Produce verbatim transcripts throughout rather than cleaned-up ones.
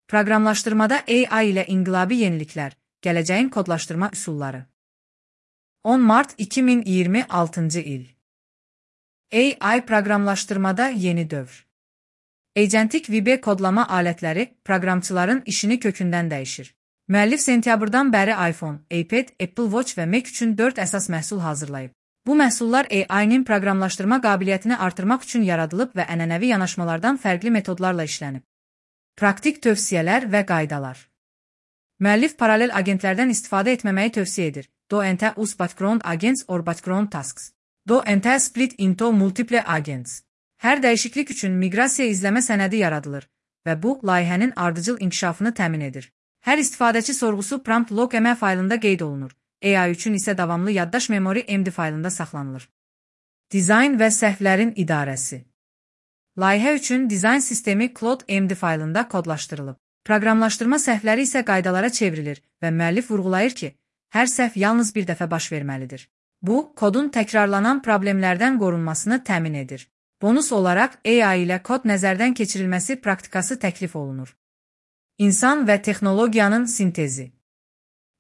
Proqramlaşdırmada A I ilə inqilabi yeniliklər, gələcəyin kodlaşdırma üsulları. on mart iki min iyirmi altıncı il. A I proqramlaşdırmada yeni dövr. Agentik V B kodlama alətləri proqramçıların işini kökündən dəyişir. Müəllif sentyabrdan bəri iPhone, iPad, Apple Watch və Mac üçün dörd əsas məhsul hazırlayıb. Bu məhsullar A I-nin proqramlaşdırma qabiliyyətini artırmaq üçün yaradılıb və ənənəvi yanaşmalardan fərqli metodlarla işlənib. Praktik tövsiyələr və qaydalar. Müəllif paralel agentlərdən istifadə etməməyi tövsiyə edir. Don't use background agents or background tasks. Don't split into multiple agents. Hər dəyişiklik üçün miqrasiya izləmə sənədi yaradılır və bu, layihənin ardıcıl inkişafını təmin edir. Hər istifadəçi sorğusu prompt log M faylında qeyd olunur. A I üçün isə davamlı yaddaş memori M D faylında saxlanılır. Dizayn və səhvlərin idarəsi. Layihə üçün dizayn sistemi Cloud M D faylında kodlaşdırılıb. Proqramlaşdırma səhvləri isə qaydalara çevrilir və müəllif vurğulayır ki, hər səhv yalnız bir dəfə baş verməlidir. Bu, kodun təkrarlanan problemlərdən qorunmasını təmin edir. Bonus olaraq A I ilə kod nəzərdən keçirilməsi praktikası təklif olunur. İnsan və texnologiyanın sintezi.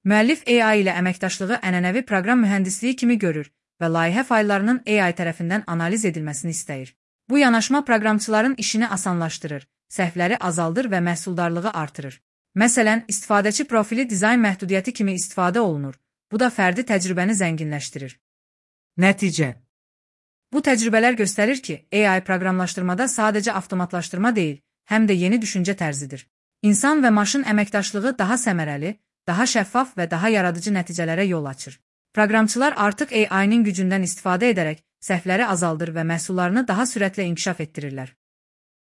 Müəllif A I ilə əməkdaşlığı ənənəvi proqram mühəndisliyi kimi görür və layihə fayllarının A I tərəfindən analiz edilməsini istəyir. Bu yanaşma proqramçıların işini asanlaşdırır, səhvləri azaldır və məhsuldarlığı artırır. Məsələn, istifadəçi profili dizayn məhdudiyyəti kimi istifadə olunur. Bu da fərdi təcrübəni zənginləşdirir. Nəticə. Bu təcrübələr göstərir ki, A I proqramlaşdırmada sadəcə avtomatlaşdırma deyil, həm də yeni düşüncə tərzidir. İnsan və maşın əməkdaşlığı daha səmərəli, daha şəffaf və daha yaradıcı nəticələrə yol açır. Proqramçılar artıq A I-nin gücündən istifadə edərək səhvləri azaldır və məhsullarını daha sürətlə inkişaf etdirirlər.